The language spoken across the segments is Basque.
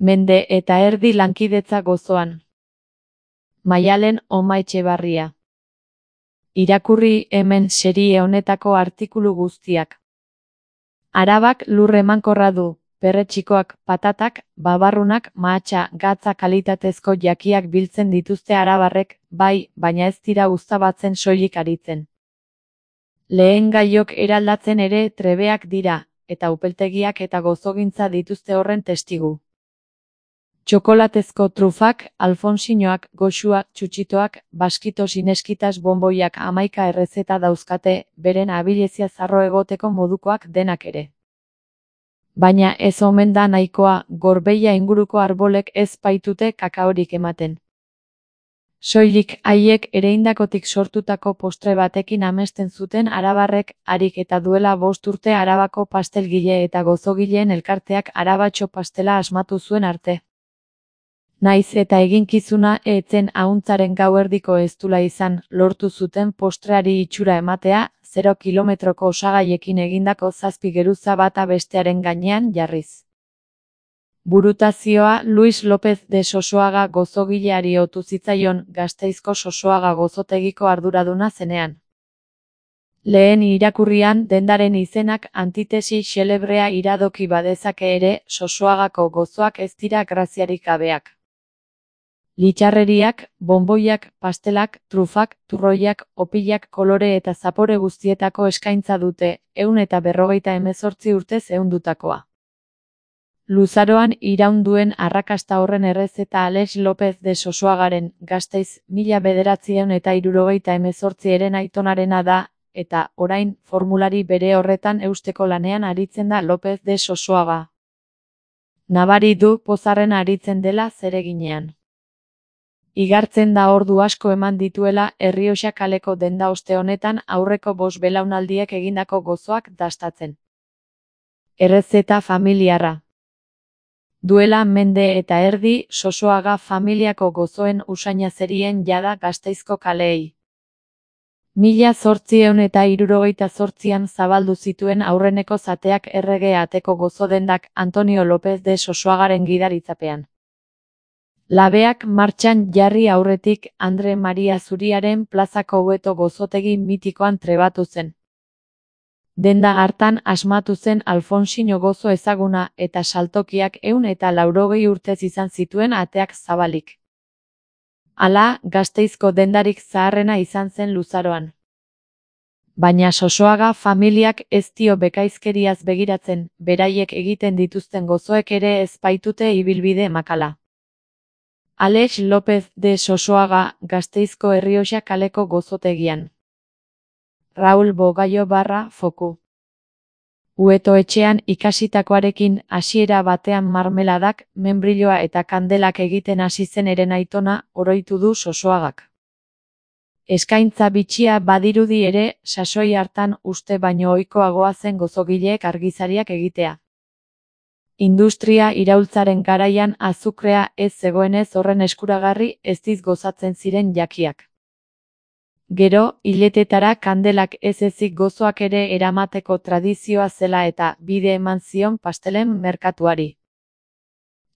Mende eta erdi lankidetza gozoan. Maialen Omaetxebarria. Irakurri hemen serie honetako artikulu guztiak. Arabak lur emankorra du, perretxikoak, patatak, babarrunak, mahatsa, gatza kalitatezko jakiak biltzen dituzte arabarrek, bai, baina ez dira uztabatzen soilik aritzen. Lehen gaiok eraldatzen ere trebeak dira, eta upeltegiak eta gozogintza dituzte horren testigu. Txokolatezko trufak, alfonsinoak, goxuak, txutxitoak, baskito sineskitas bonboiak 11 errezeta dauzkate, beren abilezia zarro egoteko modukoak denak ere. Baina ez omen da nahikoa, Gorbeia inguruko arbolek ez baitute kakaorik ematen. Soilik haiek ereindakotik sortutako postre batekin amesten zuten arabarrek, harik eta duela 5 urte Arabako pastelgile eta gozogileen elkarteak arabatxo pastela asmatu zuen arte. Naiz eta eginkizuna etzen ahuntzaren gauerdiko eztula izan, lortu zuten postreari itxura ematea, 0 kilometroko osagaiekin egindako 7 geruza bata bestearen gainean jarriz. Burutazioa Luis López de Sosoaga gozogileari otu zitzaion, Gasteizko Sosoaga gozotegiko arduraduna zenean. Lehen irakurrian dendaren izenak antitesi xelebrea iradoki badezake ere, Sosoagako gozoak ez dira graziarik gabeak. Litxarreriak, bonboiak, pastelak, trufak, turroiak, opilak kolore eta zapore guztietako eskaintza dute, 158 urtez ehundutakoa. Luzaroan iraun duen arrakasta horren errezeta Alex López de Sosoagaren, Gasteiz, 1978 eren aitonarena da, eta, orain, formulari bere horretan eusteko lanean aritzen da López de Sosoaga. Nabari du pozarren aritzen dela zereginean. Igartzen da ordu asko eman dituela Errioxa kaleko denda oste honetan aurreko 5 belaunaldiek egindako gozoak dastatzen. Errezeta familiarra. Duela mende eta erdi, Sosoaga familiako gozoen usaina zerien jada Gasteizko kaleei. 1878an zabaldu zituen aurreneko zateak errege ateko gozodendak Antonio López de Sosoagaren gidaritzapean. Labeak martxan jarri aurretik Andre Maria Zuriaren plazako Hueto gozotegi mitikoan trebatu zen. Denda hartan asmatu zen Alfonsino gozo ezaguna eta saltokiak 180 urtez izan zituen ateak zabalik. Hala, Gasteizko dendarik zaharrena izan zen luzaroan. Baina Sosoaga familiak ez dio bekaizkeriaz begiratzen, beraiek egiten dituzten gozoek ere ez baitute ibilbide makala. Alex López de Sosoaga, Gasteizko Errioxa kaleko gozotegian. Raul Bogaio Foku. Hueto etxean ikasitakoarekin hasiera batean marmeladak, menbriloa eta kandelak egiten hasi zen eren aitona, oroitu du Sosoagak. Eskaintza bitxia badirudi ere, sasoi hartan uste baino ohikoagoa zen gozogileek argizariak egitea. Industria iraultzaren garaian azukrea ez zegoenez horren eskuragarri eztiz gozatzen ziren jakiak. Gero, hiletetara kandelak ez ezik gozoak ere eramateko tradizioa zela eta bide eman zion pastelen merkatuari.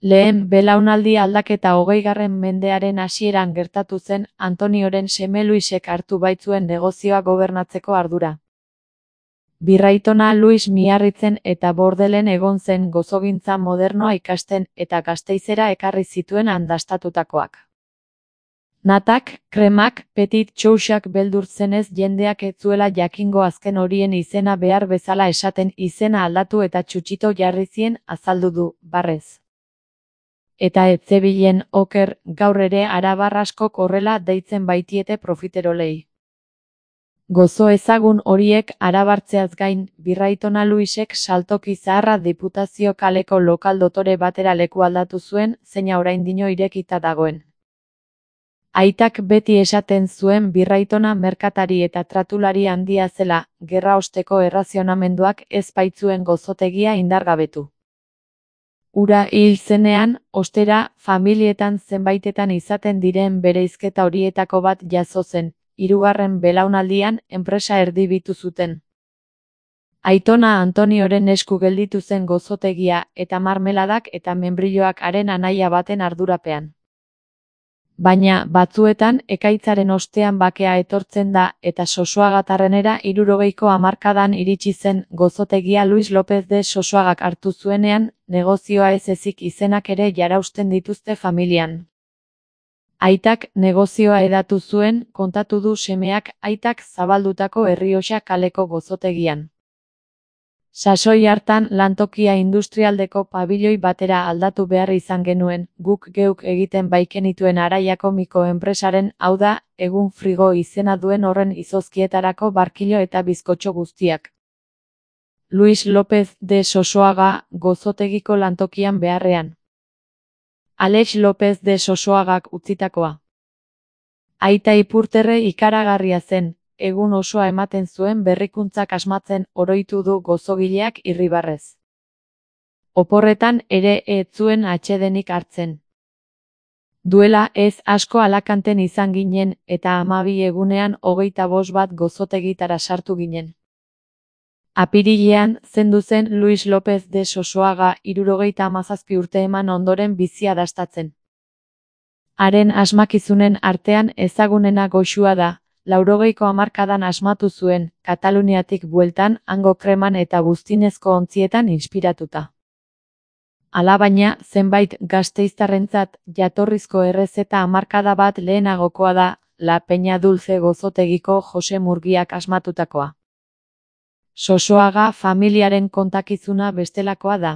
Lehen belaunaldi aldaketa 20. mendearen hasieran gertatu zen Antonioren seme Luisek hartu baitzuen negozioa gobernatzeko ardura. Birraitona Luis Miarritzen eta Bordelen egon zen gozogintza modernoa ikasten eta Gasteizera ekarri zituen andastatutakoak. Natak, kremak, petit txouxak beldur zenez jendeak ez zuela jakingo azken horien izena behar bezala esaten izena aldatu eta txutxito jarri zien azaldu du, barrez. Eta ez zebilen oker, gaur ere arabar askok horrela deitzen baitiete profiterolei. Gozo ezagun horiek arabartzeaz gain, Birraitona Luisek saltoki zaharra Diputazio kaleko lokal dotore batera leku aldatu zuen, zeina oraindino irekita dagoen. Aitak beti esaten zuen Birraitona merkatari eta tratulari handia zela, gerra osteko errazionamenduak ez baitzuen gozotegia indargabetu. Ura hil zenean, ostera, familietan zenbaitetan izaten diren bereizketa horietako bat jazo zen, 3. belaunaldian enpresa erdibitu zuten. Aitona Antonioren esku gelditu zen gozotegia eta marmeladak eta membrilloak haren anaia baten ardurapean. Baina, batzuetan, ekaitzaren ostean bakea etortzen da eta Sosoaga-Tarrenera 60ko hamarkadan iritsi zen gozotegia Luis López de Sosoagak hartu zuenean, negozioa ez ezik izenak ere jarausten dituzte familian. Aitak negozioa hedatu zuen, kontatu du semeak aitak zabaldutako Errioxa kaleko gozotegian. Sasoi hartan lantokia industrialdeko pabiloi batera aldatu behar izan genuen, guk geuk egiten baikenituen Araiako mikroenpresaren, hau da, egun frigo izena duen horren izozkietarako barkilo eta bizkotxo guztiak. Luis López de Sosoaga gozotegiko lantokian beharrean. Alex López de Sosoagak utzitakoa. Aita Ipurterre ikaragarria zen, egun osoa ematen zuen berrikuntzak asmatzen oroitu du gozogileak Irribarrez. Oporretan ere ez zuen atsedenik hartzen. Duela ez asko Alakanten izan ginen eta 12 egunean 25 bat gozotegitara sartu ginen. Apirilean zendu zen Luis López de Sosoaga 77 urte eman ondoren bizia dastatzen. Haren asmakizunen artean ezagunena goxua da, 80ko hamarkadan asmatu zuen, Kataluniatik bueltan, hango kreman eta buztinezko ontzietan inspiratuta. Alabaina, zenbait gasteiztarrentzat jatorrizko errezeta hamarkada bat lehenagokoa da, La Peña Dulce gozotegiko Jose Murgiak asmatutakoa. Sosoaga familiaren kontakizuna bestelakoa da.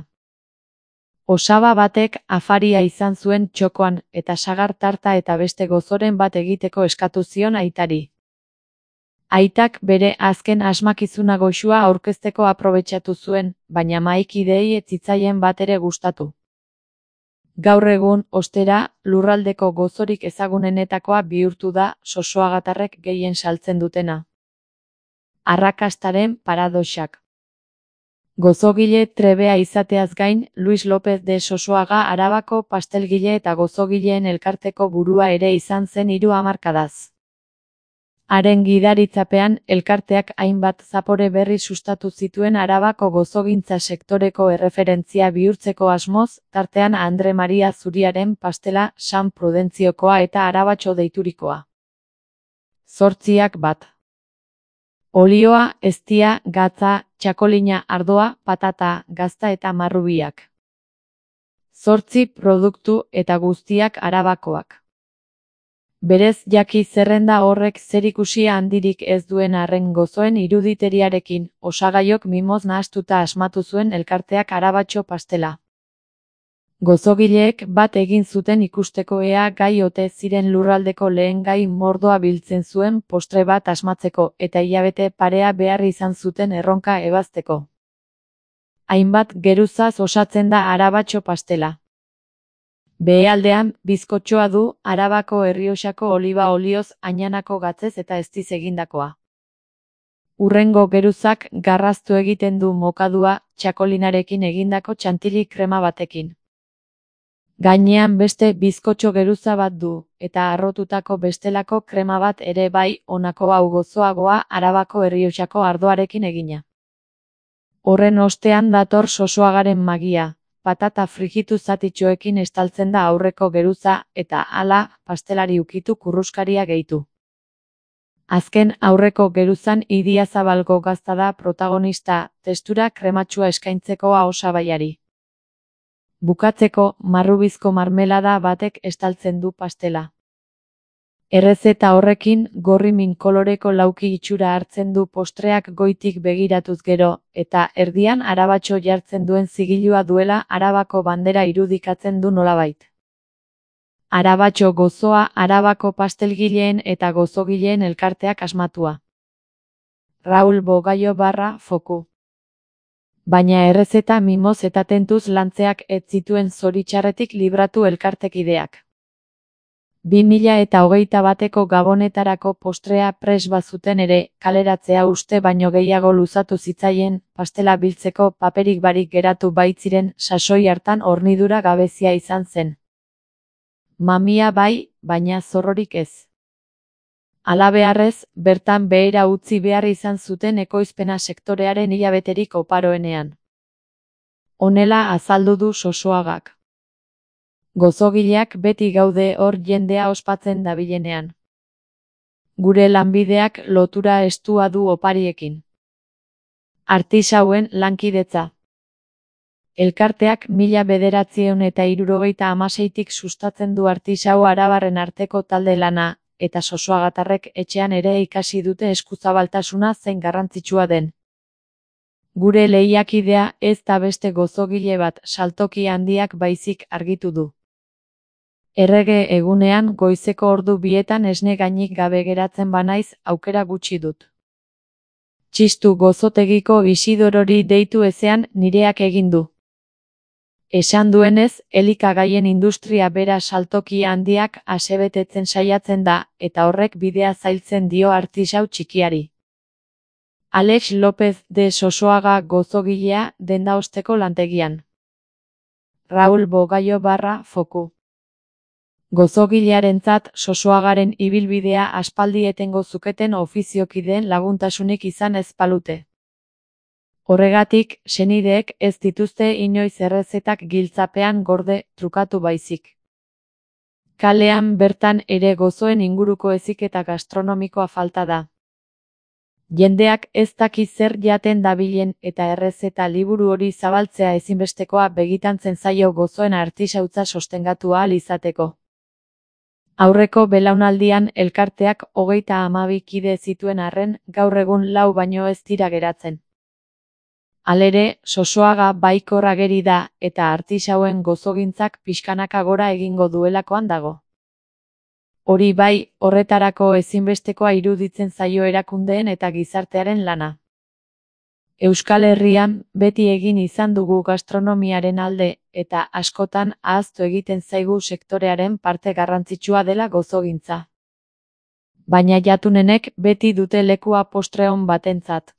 Osaba batek afaria izan zuen txokoan eta sagar tarta eta beste gozoren bat egiteko eskatu zion aitari. Aitak bere azken asmakizuna goxua aurkezteko aprobetxatu zuen, baina mahaikideei ez zitzaien bat ere gustatu. Gaur egun, ostera, lurraldeko gozorik ezagunenetakoa bihurtu da Sosoagatarrek gehien saltzen dutena. Arrakastaren paradoxak. Gozogile trebea izateaz gain, Luis López de Sosoaga Arabako pastelgile eta gozogileen elkarteko burua ere izan zen 3 hamarkadaz. Haren gidaritzapean, elkarteak hainbat zapore berri sustatu zituen Arabako gozogintza sektoreko erreferentzia bihurtzeko asmoz, tartean Andre Maria Zuriaren pastela, San Prudentziokoa eta Arabatxo deiturikoa. 8 bat. Olioa, eztia, gatza, txakolina, ardoa, patata, gazta eta marrubiak. 8 produktu eta guztiak Arabakoak. Berez jaki zerrenda horrek zerikusia handirik ez duen arren gozoen iruditeriarekin, osagaiok mimoz nahastuta asmatu zuen elkarteak Arabatxo pastela. Gozogileek bat egin zuten ikusteko ea gai ote ziren lurraldeko lehen gai mordoa biltzen zuen postre bat asmatzeko eta hilabete parea behar izan zuten erronka ebazteko. Hainbat geruzaz osatzen da Arabatxo pastela. Behealdean, bizkotxoa du, Arabako Errioxako oliba olioz ainanako gatzez eta eztiz egindakoa. Hurrengo geruzak garraztu egiten du mokadua, txakolinarekin egindako txantili krema batekin. Gainean beste bizkotxo geruza bat du, eta harrotutako bestelako krema bat ere bai, honako hau gozoagoa Arabako Errioxako ardoarekin egina. Horren ostean dator Sosoagaren magia. Patata frijitu zatitxoekin estaltzen da aurreko geruza, eta hala, pastelari ukitu kurruskaria gehitu. Azken aurreko geruzan Idiazabalgo gazta da protagonista, testura krematxua eskaintzekoa osabaiari. Bukatzeko, marrubizko marmelada batek estaltzen du pastela. Errezeta horrekin, gorri min koloreko lauki itxura hartzen du postreak goitik begiratuz gero, eta erdian Arabatxo jartzen duen zigilua duela Arabako bandera irudikatzen du nolabait. Arabatxo gozoa Arabako pastelgileen eta gozogileen elkarteak asmatua. Raul Bogaio /Foku. Baina errezeta mimoz eta tentuz lantzeak ez zituen zoritxarretik libratu elkartekideak. 2021 bateko gabonetarako postrea pres bazuten ere, kaleratzea uste baino gehiago luzatu zitzaien, pastela biltzeko paperik barik geratu baitziren sasoi hartan hornidura gabezia izan zen. Mamia bai, baina zorrorik ez. Halabeharrez, bertan behera utzi behar izan zuten ekoizpena sektorearen hilabeterik oparoenean. Honela azaldu du Sosoagak. Gozogileak beti gaude hor jendea ospatzen dabilenean. Gure lanbideak lotura estua du opariekin. Artisauen lankidetza. Elkarteak 1976tik sustatzen du artisau arabarren arteko talde lana, eta Sosoagatarrek etxean ere ikasi dute eskuzabaltasuna zein garrantzitsua den. Gure lehiakidea ez da beste gozogile bat saltoki handiak baizik argitu du. Errege egunean goizeko ordu 2etan esne gainik gabe geratzen banaiz aukera gutxi dut. Txistu gozotegiko Isidorori deitu ezean nireak egin du. Esan duenez, elikagaien industria bera saltoki handiak asebetetzen saiatzen da, eta horrek bidea zailtzen dio artisau txikiari. Alex López de Sosoaga gozogilea denda osteko lantegian. Raúl Bogaio Foku. Gozogilearentzat Sosoagaren ibilbidea aspaldi etengo zuketen ofiziokideen laguntasunik izan ez balute. Horregatik, senideek ez dituzte inoiz errezetak giltzapean gorde trukatu baizik. Kalean bertan ere gozoen inguruko heziketa gastronomikoa falta da. Jendeak ez daki zer jaten dabilen eta errezeta liburu hori zabaltzea ezinbestekoa begitantzen zaio gozoen artisautza sostengatu ahal izateko. Aurreko belaunaldian elkarteak 32 kide zituen arren, gaur egun 4 baino ez dira geratzen. Halere, Sosoaga baikor ageri da, eta artisauen gozogintzak pixkanaka gora egingo duelakoan dago. Hori bai, horretarako ezinbestekoa iruditzen zaio erakundeen eta gizartearen lana. Euskal Herrian, beti egin izan dugu gastronomiaren alde, eta askotan ahaztu egiten zaigu sektorearen parte garrantzitsua dela gozogintza. Baina jatunenek beti dute lekua postre on batentzat.